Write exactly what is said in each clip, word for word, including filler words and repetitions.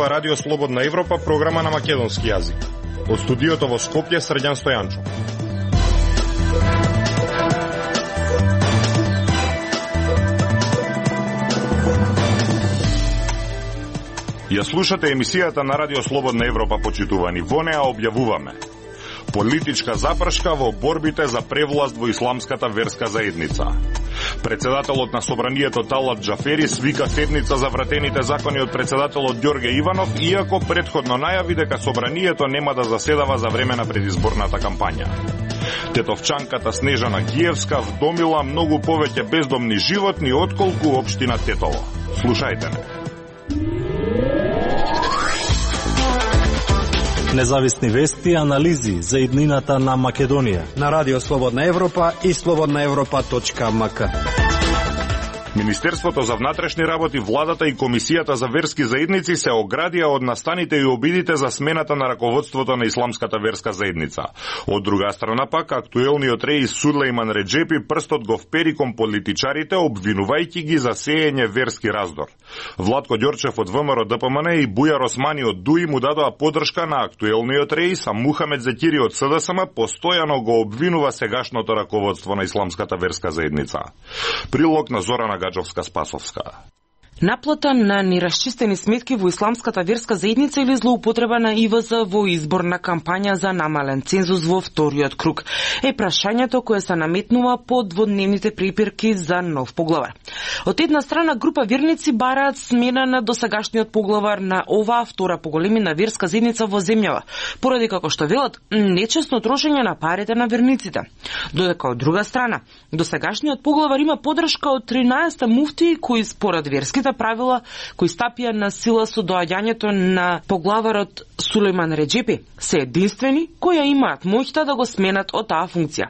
зборува Радио Слободна Европа, програма на македонски јазик. Од студиото во Скопје, Срđan Стојанчо. Ја слушате емисијата на Радио Слободна Европа, почитувани. Во неа објавуваме политичка запршка во борбите за превласт во исламската верска заедница. Председателот на Собранието Талат Џафери свика седница за вратените закони од председателот Ѓорге Иванов, иако претходно најави дека Собранието нема да заседава за време на предизборната кампања. Тетовчанката Снежана Гиевска вдомила многу повеќе бездомни животни отколку општина Тетово. Слушајте ме. Независни вести и анализи за иднината на Македонија на Радио Слободна Европа и слободна европа точка ем ка. Министерството за внатрешни работи, владата и Комисијата за верски заедници се оградија од настаните и обидите за смената на раководството на исламската верска заедница. Од друга страна пак, актуелниот реис Сулејман Реџепи прстот го впери кон политичарите, обвинувајќи ги за сеење верски раздор. Владко Ѓорчев од ВМРО Д П М Н и Бујар Османи од Д У И му дадоа подршка на актуелниот реис, а Мухамед Зекири од С Д С М постојано го обвинува сегашното раководство на исламската верска заедница. Прилог на Зорана Гаджовска-Спасовска. Наплата на нерасчистени сметки во исламската верска заедница или злоупотреба на И В З во изборна кампања за намален цензус во вториот круг е прашањето кое се наметнува по дводневните препирки за нов поглавар. Од една страна, група верници бараат смена на досегашниот поглавар на оваа втора по големина верска заедница во земјава, поради како што велат нечесно трошење на парите на верниците. Додека од друга страна, досегашниот поглавар има подршка од тринаесет муфтии кои според верски правила кои стапија на сила со доаѓањето на поглаварот Сулејман Реџепи се единствени кои имаат моќта да го сменат од таа функција.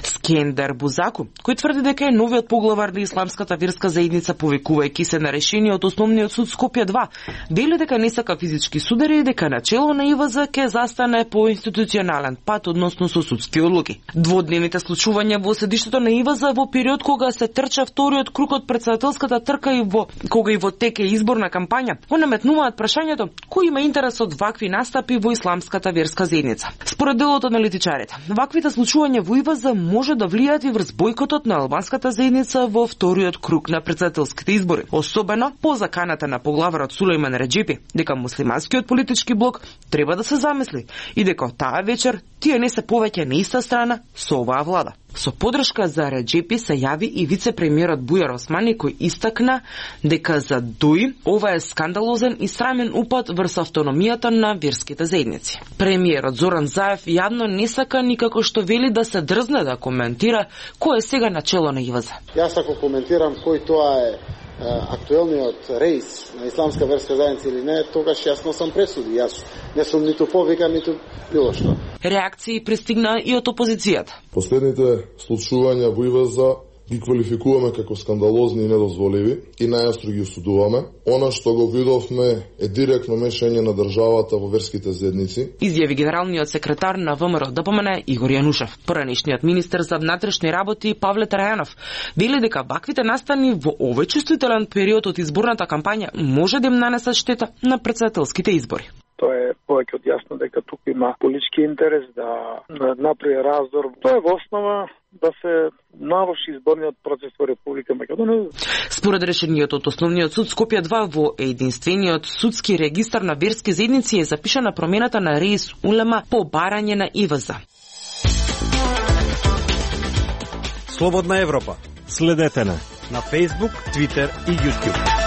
Скендер Бузаку, кој тврди дека е новиот поглавар на исламската верска заедница, повикувајќи се на решениот основниот суд Скопје два, вели дека не сака физички судари и дека начело на И В З ќе застане по институционален пат односно со судски одлуки. Дводневните случувања во седиштето на И В З во период кога се трча вториот круг од председателската трка и во кога и во теке изборна кампања, го наметнуваат прашањето кој има интерес од вакви настапи во исламската верска заедница. Според делот аналитичарите, ваквите случувања во И В З може да влијаат и врз бојкотот на албанската заедница во вториот круг на претседателските избори, особено по заканата на поглаварот Сулејман Реџепи дека муслиманскиот политички блок треба да се замисли и дека таа вечер тие не се повеќе на иста страна со оваа влада. Со подршка за Реџепи се јави и вице-премиерот Бујар Османи, кој истакна дека за Д У И ова е скандалозен и срамен упад врз автономијата на верските заедници. Премиерот Зоран Заев јавно не сака никако што вели да се дрзне да коментира кој е сега начело на И В З. Јас ако коментирам кој тоа е актуелниот реис на исламска верска заедница или не, тогаш јас носам пресуди. Јас не сум ниту повикан, ниту било што. Реакции пристигна и од опозицијата. Последните случувања во И В З ги квалификуваме како скандалозни и недозволиви и најастро ги осудуваме. Она што го видовме е директно мешање на државата во верските заедници. Изјави генералниот секретар на ВМРО Д П М Н Игор Јанушев. Поранешниот министер за внатрешни работи Павле Трајанов вели дека ваквите настани во овој чувствителен период од изборната кампања може да им нанесат штета на претседателските избори. Тоа е повеќе од јасно дека тука има политички интерес да направи раздор. Тоа е во основа да се наврши изборниот процес во Република Македонија. Според решениот од основниот суд Скопје два во единствениот судски регистар на верски заедници е запишана промената на реис улема по барање на И В З. Слободна Европа. Следете на на Facebook, Twitter и YouTube.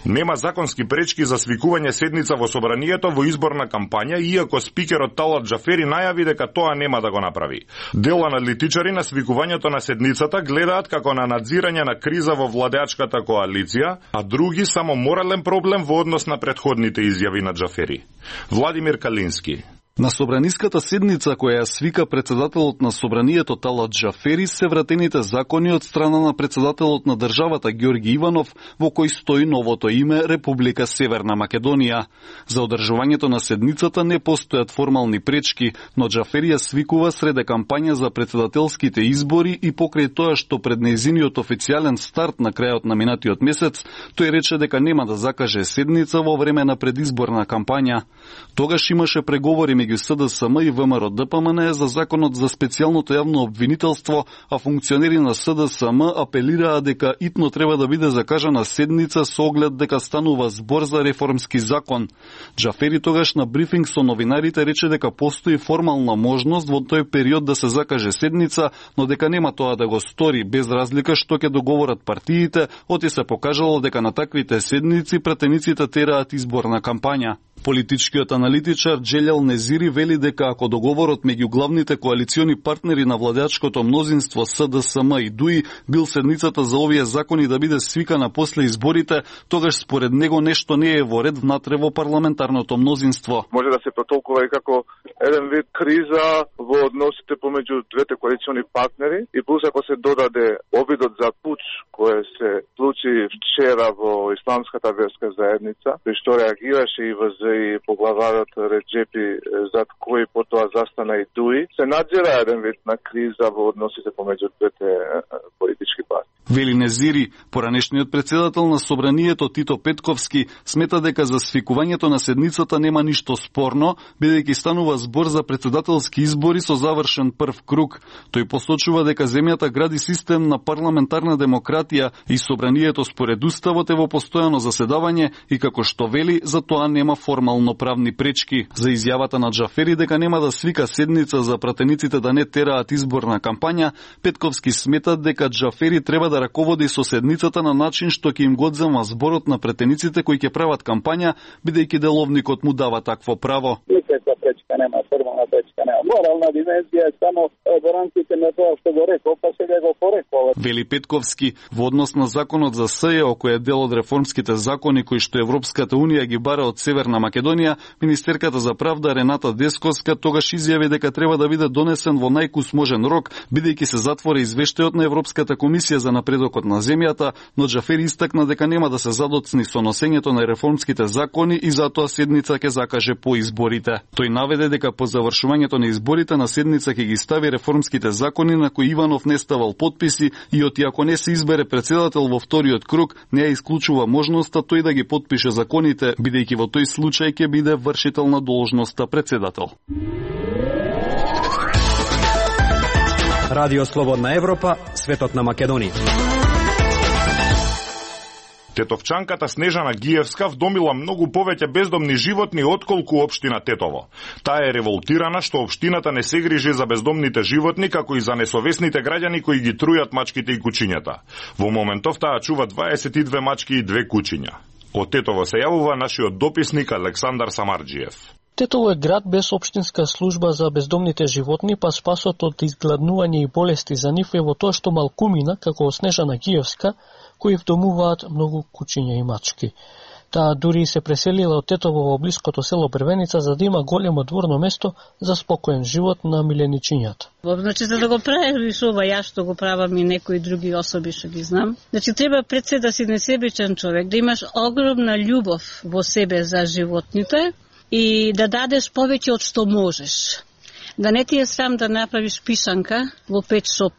Нема законски пречки за свикување седница во Собранието во изборна кампања, иако спикерот Талат Џафери најави дека тоа нема да го направи. Дел аналитичари на свикувањето на седницата гледаат како на надзирање на криза во владеачката коалиција, а други само морален проблем во однос на претходните изјави на Џафери. Владимир Калински. На собраниската седница која ја свика председателот на собранието Талат Џафери се вратените закони од страна на председателот на државата Ѓорги Иванов, во кој стои новото име Република Северна Македонија. За одржувањето на седницата не постојат формални пречки, но Џафери ја свикува среде кампања за председателските избори и покрај тоа што пред нејзиниот официјален старт на крајот на минатиот месец, тој рече дека нема да закаже седница во време на предизборна кампања. Тогаш имаше преговори меѓу С Д С М и В М Р Д П М Н за законот за специјалното јавно обвинителство, а функционери на С Д С М апелираа дека итно треба да биде закажана седница со оглед дека станува збор за реформски закон. Џафери тогаш на брифинг со новинарите рече дека постои формална можност во тој период да се закаже седница, но дека нема тоа да го стори без разлика што ќе договорат партиите, оти се покажало дека на таквите седници пратениците тераат изборна кампања. Политичкиот аналитичар Џелјал Незири вели дека ако договорот меѓу главните коалициони партнери на владеачкото мнозинство С Д С М и Д У И бил седницата за овие закони да биде свикана после изборите, тогаш според него нешто не е во ред внатре во парламентарното мнозинство. Може да се протолкува и како еден вид криза во односите помеѓу двете коалициони партнери и плюс ако се додаде обидот за пуч кој се случи вчера во Исламската верска заедница, при што реагираше и В З и поглаварот Реджепи, зад кој потоа застана и Д У И, се надзира еден вид на криза во односите помеѓу двете политички партии. Вели Незири, поранешниот председател на собранието Тито Петковски смета дека за свикувањето на седницата нема ништо спорно, бидејќи станува збор за председателски избори со завршен прв круг. Тој посочува дека земјата гради систем на парламентарна демократија и собранието според уставот е во постојано заседавање и како што вели, за тоа нема формално правни пречки. За изјавата на Џафери дека нема да свика седница за пратениците да не тераат изборна кампања, Петковски смета дека Џафери треба да раководи со седницата на начин што ќе им го одзема зборот на претениците кои ќе прават кампања, бидејќи деловникот му дава такво право. Никаква пречка нема, формална пречка нема. Морална димензија е само во рамките на тоа што го рекол, па сега го порекол. Вели Петковски, во однос на законот за С Е О, кој е дел од реформските закони кои што Европската унија ги бара од Северна Македонија, министерката за правда Рената Десковска тогаш изјави дека треба да биде донесен во најкус можен рок, бидејќи се затвора извештајот на Европската комисија за напредокот на земјата, но Џафери истакна дека нема да се задоцни со носењето на реформските закони и затоа седница ќе закаже по изборите. Тој наведе дека по завршувањето на изборите на седница ќе ги стави реформските закони на кои Иванов не ставал потписи и оти ако не се избере председател во вториот круг, не ја исклучува можноста тој да ги потпише законите, бидејќи во тој случај ќе биде вршител на должноста председател. Радио Слободна Европа, светот на Македонија. Тетовчанката Снежана Гиевска вдомила многу повеќе бездомни животни отколку општина Тетово. Таа е револтирана што општината не се грижи за бездомните животни, како и за несовесните граѓани кои ги трујат мачките и кучињата. Во моментов таа чува дваесет и две мачки и две кучиња. Од Тетово се јавува нашиот дописник Александар Самарџиев. Тетово е град без општинска служба за бездомните животни, па спасот од изгладнување и болести за нив е во тоа што малкумина, како Снежана Гиевска, кои вдомуваат многу кучиња и мачки. Таа дури се преселила од Тетово во блиското село Првеница за да има големо дворно место за спокоен живот на миленичињата. Значи, за да го правиш ова ја што го правам и некои други особи што ги знам, значи треба пред се да си несебичен човек, да имаш огромна љубов во себе за животните и да дадеш повеќе од што можеш. Да не ти е срам да направиш пишанка во пет шоп,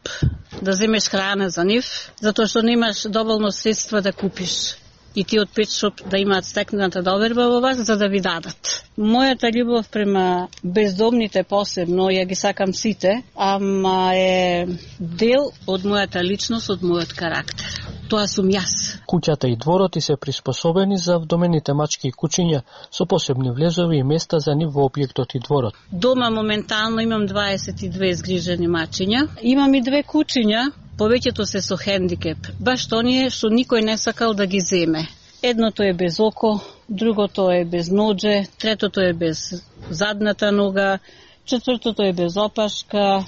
да земеш храна за нив, затоа што немаш доволно средства да купиш. И ти од пет шоп да имаат стекната доверба во вас за да ви дадат. Мојата љубов према бездомните посебно, ја ги сакам сите, ама е дел од мојата личност, од мојот карактер. Тоа сум јас. Куќата и дворот и се приспособени за вдомените мачки и кучиња со посебни влезови и места за нив во објектот и дворот. Дома моментално имам дваесет и две згрижени мачиња. Имам и две кучиња, повеќето се со хендикеп. Баш оние што никој не сакал да ги земе. Едното е без око, другото е без ноџе, третото е без задната нога, четвртото е без опашка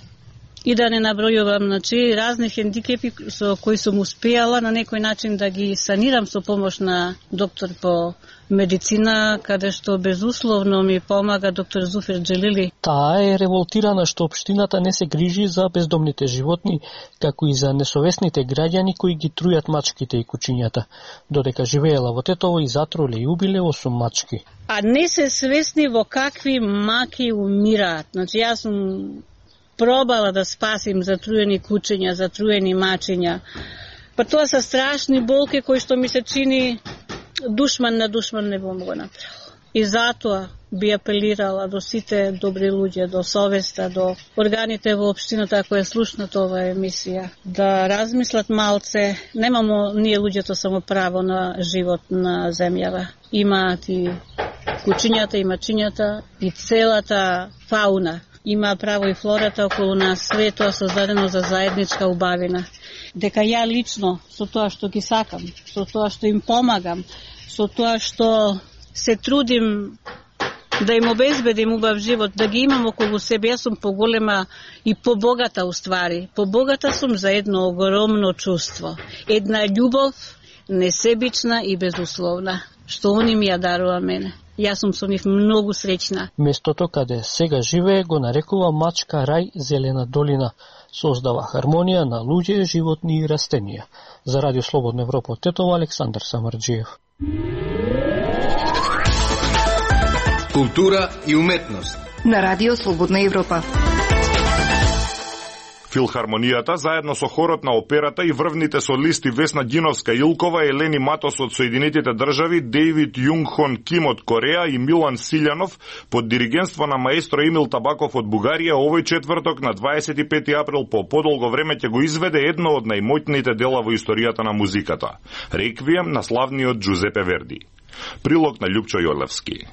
и да не набројувам, значи разни хендикепи со кои сум успеала на некој начин да ги санирам со помош на доктор по медицина, каде што безусловно ми помага доктор Зуфер Джелили. Таа е револтирана што општината не се грижи за бездомните животни, како и за несовесните граѓани кои ги трујат мачките и кучињата, додека живеела во Тетово и затруле и убиле осум мачки. А не се свесни во какви маки умираат. Значи јас сум пробала да спасим затруени кучиња, затруени мачиња. Па тоа се страшни болки кои што ми се чини душман на душман не бом го направил. И затоа би апелирала до сите добри луѓе, до совеста, до органите во општината кои слушнат оваа емисија, да размислат малце. Немамо ние луѓето само право на живот на земјава. Имаат и кучињата, и мачињата, и целата фауна. Има право и флората околу нас, све тоа создадено за заедничка убавина. Дека ја лично, со тоа што ги сакам, со тоа што им помагам, со тоа што се трудим да им обезбедим убав живот, да ги имам околу себе, јас сум поголема и побогата уствари. Побогата сум за едно огромно чувство. Една љубов, несебична и безусловна, што они ми ја дарува мене. Јас сум со нив многу среќна. Местото каде сега живее го нарекува Мачка рај Зелена долина. Создава хармонија на луѓе, животни и растенија. За Радио Слободна Европа од Тетово, Александар Самарџиев. Култура и уметност на Радио Слободна Европа. Филхармонијата заедно со хорот на операта и врвните солисти Весна Ѓиновска-Илкова, Елени Матос од Соединетите држави, Дејвид Јунг-хон Ким од Кореја и Милан Силјанов под диригентство на маестро Емил Табаков од Бугарија овој четврток на дваесет и пети април по подолго време ќе го изведе едно од најмоќните дела во историјата на музиката – Реквием на славниот Джузепе Верди. Прилог на Љупчо Јолевски.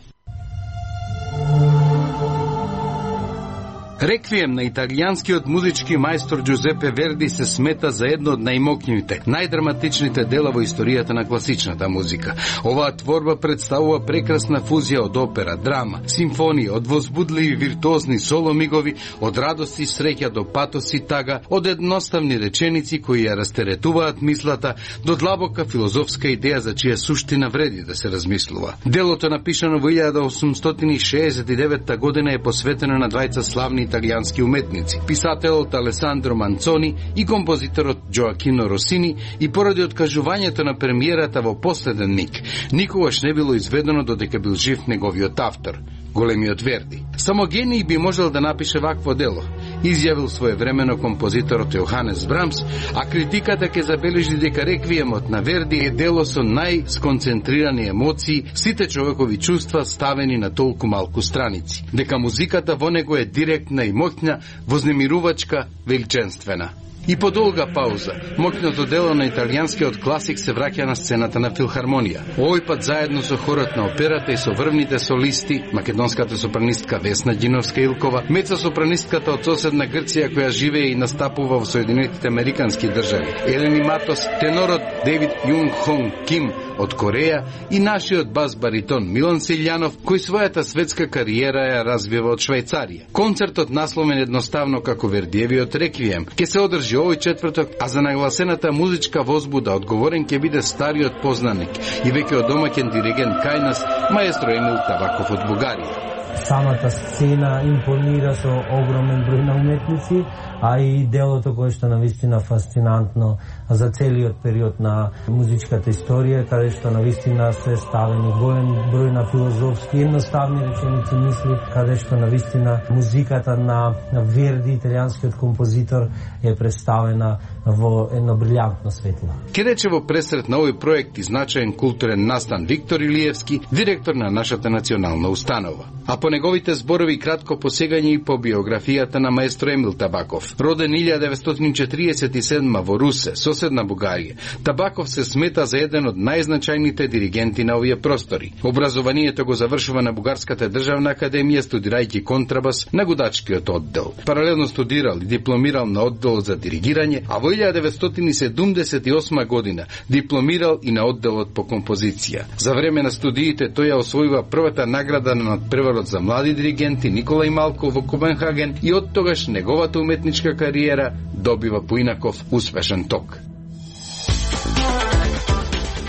Реквием на италијанскиот музички мајстор Джузепе Верди се смета за едно од најмокњивите, најдраматичните дела во историјата на класичната музика. Оваа творба представува прекрасна фузија од опера, драма, симфонија, од возбудливи виртуозни соло мигови, од радост и среќа до патос и тага, од едноставни реченици кои ја растеретуваат мислата до длабока филозофска идеја за чија суштина вреди да се размислува. Делото напишано во илјада осумстотини шеесет и девета година е посветено на двајца славни италијански уметници, писателот Алесандро Манцони и композиторот Џоакино Росини, и поради откажувањето на премиерата во последен миг, никогаш не било изведено додека бил жив неговиот автор, големиот Верди. Само гений би можел да напише вакво дело, изјавил своевремено композиторот Јоханес Брамс, а критиката ќе забележи дека Реквиемот на Верди е дело со најсконцентрирани емоции, сите човекови чувства ставени на толку малку страници, дека музиката во него е директна и моќна, вознемирувачка, величенствена. И по долга пауза, моќното дело на италијанскиот класик се враќа на сцената на филхармонија. Овој пат заедно со хорот на операта и со врвните солисти, македонската сопранистка Весна Ѓиновска-Илкова, мецо-сопранистката од соседна Грција која живее и настапува во Соединетите Американски држави, Елени Матос, тенорот Дејвид Јунг-хон Ким од Кореја и нашиот бас-баритон Милан Силјанов, кој својата светска кариера ја развива од Швајцарија. Концертот, насловен едноставно како Вердиевиот Реквием, ќе се одржи овој четврток, а за нагласената музичка возбуда одговорен ќе биде стариот познаник и веќе одомаќен диригент кај нас, маестро Емил Табаков од Бугарија. Самата сцена импонира со огромен број на уметници, а и делото кое што навистина фасцинантно за целиот период на музичката историја, каде што навистина се ставени голем број на филозофски едноставни реченици мисли, каде што навистина музиката на Верди, италијанскиот композитор, е представена во едно брилјантно светло. Ке рече во пресрет на овој проект и значаен културен настан Виктор Илиевски, директор на нашата национална установа. А по неговите зборови кратко посегање и по биографијата на маестро Емил Табаков. Роден илјада деветстотини четириесет и седма во Русе, соседна Бугарија, Табаков се смета за еден од најзначајните диригенти на овие простори. Образованието го завршува на Бугарската државна академија, студирајќи контрабас на гудачкиот оддел. Паралелно студирал и дипломирал на оддел за диригирање, а во Во илјадат деветстотини и седумдесет и осма година дипломирал и на одделот по композиција. За време на студиите тој ја освојува првата награда на надпреварот за млади диригенти Николај Малко во Копенхаген и од тогаш неговата уметничка кариера добива поинаков успешен ток.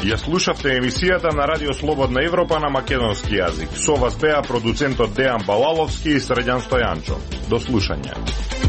Ја слушавте емисијата на Радио Слободна Европа на македонски јазик. Со вас беа продуцентот Дејан Балаловски и Средјан Стојанчо. До слушање.